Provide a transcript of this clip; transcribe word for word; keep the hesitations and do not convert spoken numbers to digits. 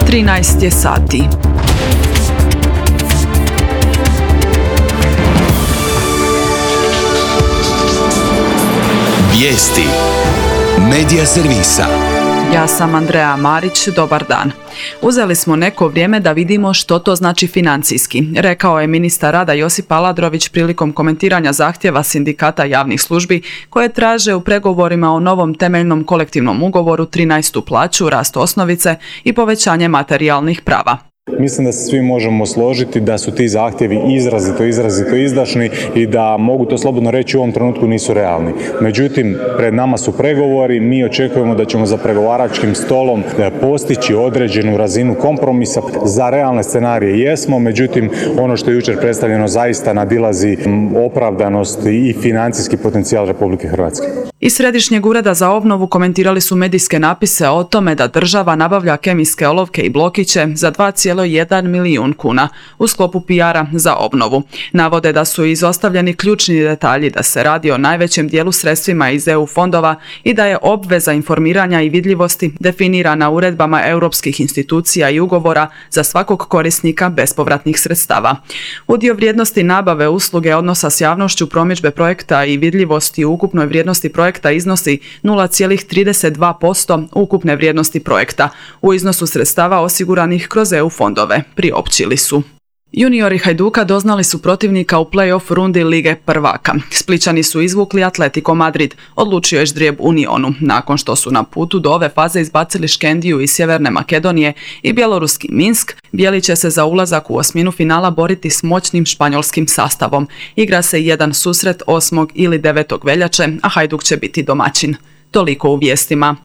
trinaest je sati. Vijesti Medija servisa. Ja sam Andreja Marić, dobar dan. Uzeli smo neko vrijeme da vidimo što to znači financijski, rekao je ministar rada Josip Aladrović prilikom komentiranja zahtjeva sindikata javnih službi koje traže u pregovorima o novom temeljnom kolektivnom ugovoru trinaestu plaću, rast osnovice i povećanje materijalnih prava. Mislim da se svi možemo složiti da su ti zahtjevi izrazito, izrazito izdašni i da, mogu to slobodno reći, u ovom trenutku nisu realni. Međutim, pred nama su pregovori, mi očekujemo da ćemo za pregovaračkim stolom postići određenu razinu kompromisa. Za realne scenarije jesmo, međutim, ono što je jučer predstavljeno zaista nadilazi opravdanost i financijski potencijal Republike Hrvatske. Iz Središnjeg ureda za obnovu komentirali su medijske napise o tome da država nabavlja kemijske olovke i blokiće za dva zarez jedan milijun kuna u sklopu P R-a za obnovu. Navode da su izostavljeni ključni detalji da se radi o najvećem dijelu sredstvima iz E U fondova i da je obveza informiranja i vidljivosti definirana uredbama europskih institucija i ugovora za svakog korisnika bespovratnih sredstava. Udio vrijednosti nabave usluge odnosa s javnošću promidžbe projekta i vidljivosti u ukupnoj vrijednosti projekta iznosi nula zarez trideset dva posto ukupne vrijednosti projekta u iznosu sredstava osiguranih kroz E U fondove, priopćili su. Juniori Hajduka doznali su protivnika u play-off rundi Lige prvaka. Splićani su izvukli Atletico Madrid, odlučio je ždrijeb Unionu, nakon što su na putu do ove faze izbacili Škendiju iz Sjeverne Makedonije i bjeloruski Minsk. Bijeli će se za ulazak u osminu finala boriti s moćnim španjolskim sastavom. Igra se jedan susret osmog ili devetog veljače, a Hajduk će biti domaćin. Toliko u vijestima.